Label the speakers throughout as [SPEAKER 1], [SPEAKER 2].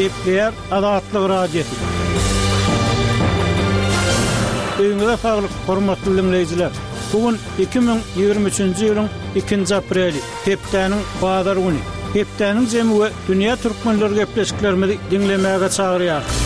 [SPEAKER 1] Gepleýär Azatlyk Radiosy. Öýüňize saglyk, hormatly diňleýjiler! Bu gün 2023-nji ýylyň ikinji apreli, hepdäniň bazar güni. Hepdäniň jemi we dünýä türkmenleri gepleşiklerimizi diňlemäge çagyrýarys.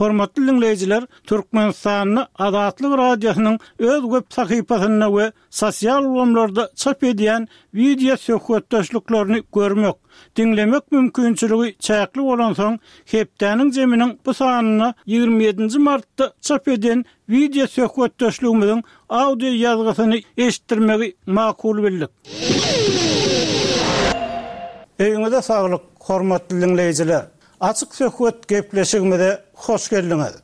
[SPEAKER 1] Hormatly diňleýjiler, Türkmenistanda Azatlyk Radiosynyň öz web sahypasynda we sosial ulgamlarda çap edýän wideo söhbetdeşliklerini görmek, diňlemek mümkinçiligi çäkli bolansoň, hepdäniň jeminiň bu sanynda 27 nji martda çap eden wideo söhbetdeşligimiziň audio ýazgysyny eşitdirmegi makul bildik. Öýüňize saglyk, hormatly diňleýjiler! Açyk söhbet gepleşigimize hoş geldiňiz!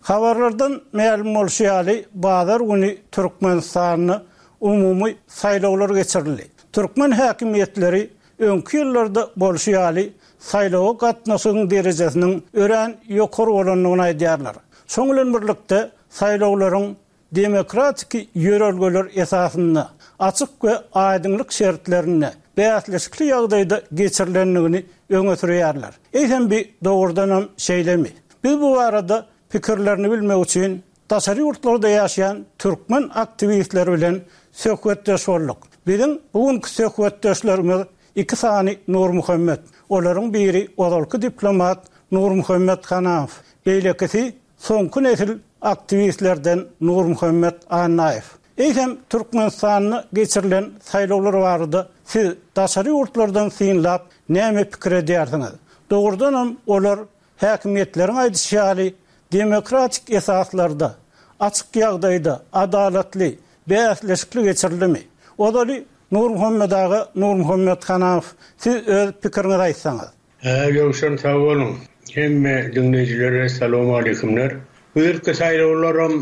[SPEAKER 1] Habarlardan mälim bolşy ýaly, bazar güni Türkmenistanda umumy saýlawlar geçirildi. Türkmen häkimiýetleri öňki ýyllarda bolşy ýaly, saýlawa gatnaşygyň derejesiniň örän ýokary bolandygyny aýdýarlar. Şoň bilen birlikde, saýlawlaryň demokratiki ýörelgeler esasynda, açyk we aýdyňlyk şertlerinde, bäsleşikli ýagdaýda geçirilendigini öňe sürýärler. Eýsem bi dogrudanam şeýlemi? Biz bu barada pikirlerini bilmek üçin daşary ýurtlarda ýaşaýan türkmen aktiwistleri bilen söhbetdeş bolduk. Biziň bu günki söhbetdeşlerimiz iki sany Nurmuhammet. Olaryň biri ozalky diplomat Nurmuhammet Hanamow, beýlekisi soňky nesil aktiwistlerden Nurmuhammet Annaýew. Eýsem, Türkmenistanda geçirilen saýlawlar barada siz daşary ýurtlardan synlap näme pikir edýärsiňiz? Dogrudanam olar häkimiýetleriň aýdyşy ýaly demokratik esaslarda, açyk ýagdaýda, adalatly, bäsleşikli geçirildimi? Ozaly Nurmuhammet aga, Nurmuhammet Hanamow siz öz pikiriňizi aýtsaňyz.
[SPEAKER 2] Hä Ýowşan sag boluň. Hemme diňleýjilere salowmaleýkimler. Bu ýylky saýlawlaram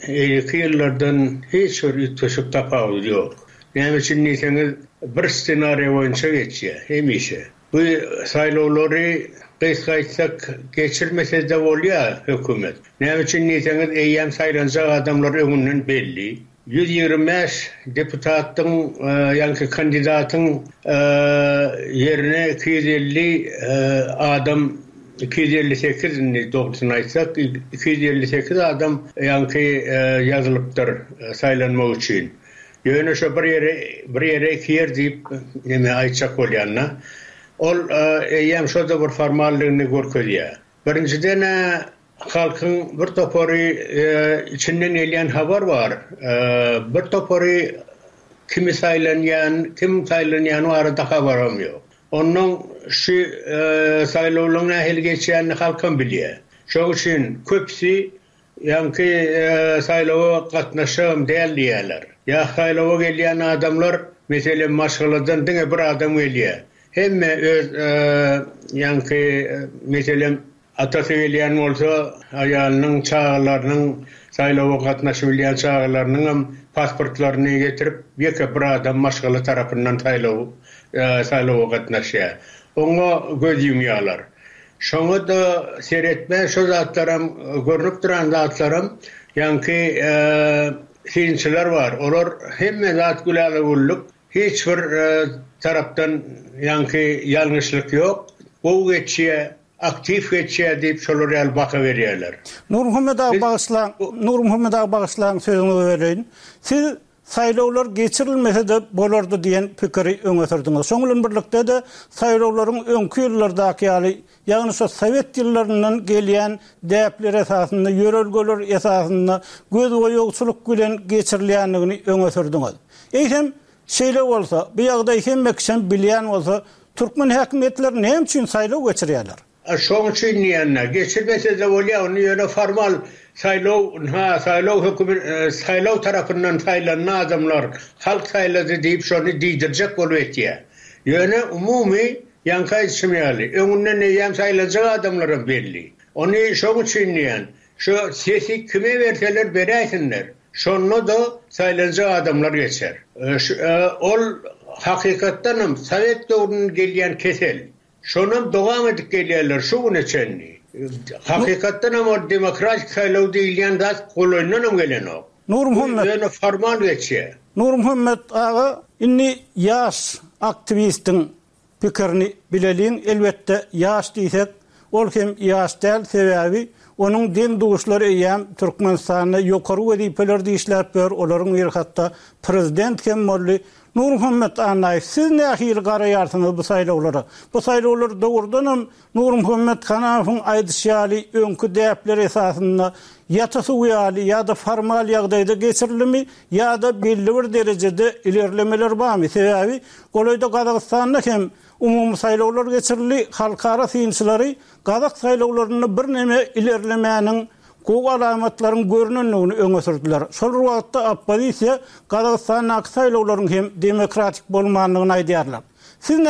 [SPEAKER 2] eýleki ýyllardan hiç bir üýtgeşik tapawudy ýok. Näme üçin diýseňiz bir ssenariýa boýunça geçýär hemişe. Bu saýlawlary gysga aýtsak geçirmesede bolýar hökümet. Näme üçin diýseňiz eýýäm saýlanjak adamlar öňünden belli. 125 deputatyň ýaňky kandidatyň ýerine 250 adam 258 indi dogrusyny aýtsak 258 adam ýaňky ýazylypdyr saýlanmak üçin. Ýöne şo bir ýere bir ýere iki ýer diýip neme aýtjak bolýan-da. Ol eýýäm şo-da bir formallygyny görkezýär. Birinjiden-ä Halkyň bir topary içinden gelýän habar bar. Bir topary kimi saýlanýan, kim saýlanýany barada habaram ýok. Onnoň şu saýlawlaryň nähili geçýänini halkam bilýär. Şoň üçin köpüsi ýaňky saýlawa gatnaşjagam däl diýýärler. Ýa saýlawa gelýän adamlar, meselem, maşgaladan diňe bir adam gelýär. Hemme öz ýaňky meselem, Atasy gelýän bolsa, aýalynyň, çagalarynyň, saýlawa gatnaşybilýän çagalarynyňam pasportlaryny getirip, ýeke bir adam maşgala tarapyndan saýlaw saýlawa gatnaşýar. Oňa göz ýumýarlar. Şoňa-da seretmän şo zatlaram, görnüp duran zatlaram ýaňky synçylar bar. Olar hemme zat gülala-güllük, hiç bir tarapdan ýaňky ýalňyşlyk ýok, gowy geçýär, Aktiw geçýär diýip şolar ýaly baha berýärler.
[SPEAKER 1] Nurmuhammet aga bagyşlaň, Nurmuhammet aga bagyşlaň sözüňizi böleýin. Siz saýlawlar geçirilmese-de bolardy diýen pikiri öňe sürdüňiz. Şoň bilen birlikde-de saýlawlaryň öňki ýyllardaky ýaly, ýagny şo sowet ýyllaryndan gelýän däpler esasynda, ýörelgeler esasynda gözboýagçylyk bilen geçirilýändigini öňe sürdüňiz. Eýsem, Şeýle bolsa, bu ýagdaýy hemme kişem bilýän bolsa, türkmen häkimiýetleri näme üçin saýlaw geçirýärler?
[SPEAKER 2] A şoň üçin diýende, geçirmese-de bolýar, ony ýöne formal saýlaw, ynha, saýlaw hökümi, saýlaw tarapyndan saýlandy adamlar, halk saýlady diýip şony diýdirjek bolup etýär. Ýöne umumy, ýaňky aýdyşym ýaly, öňünden eýýäm saýlanjak adamlaram belli. Ony şoň üçin diýýän, şu sesi kime berseler beräýsinler. Şonda-da saýlanjak adamlar geçer. Ol hakykatdanam sowet döwründen gelýän kesel. Şonam dowam edip gelýärler şu güne çenli. Hakykatdan hem ol demokratik saýlaw diýilýän zat golaýyndan hem gelenok.
[SPEAKER 1] Nurmuhammet.
[SPEAKER 2] Ýöne formal geçýär.
[SPEAKER 1] Nurmuhammet aga, indi ýaş aktiwistiň pikirini bileliň. Elbetde, ýaş diýsek, ol hem ýaş däl, sebäbi onuň deň-duşlary eýýäm Türkmenistanda ýokary wezipelerde işläp ýör, olaryň biri hatda prezident hem boldy. Nurmuhammet Annaýew, siz nähili garaýarsyňyz bu saýlawlara? Bu saýlawlar dogrudanam Nurmuhammet Hanafowyň aýdyşy ýaly öňki däpler esasynda ýata suw ýaly ýa-da formal ýagdaýda geçirilimi ýa-da belli bir derejede ilerlemeler barmy? Sebäbi golaýda Gazagystanda hem umumy saýlawlar geçirildi, halkara synçylary gazak saýlawlarynda birneme ilerlemäniň gowy alamatlaryň görnendigini öňe sürdüler. Şol bir wagtda oppozisiýa Gazagystandaky saýlawlaryň hem demokratik bolmandygyny aýdýarlar. Siz.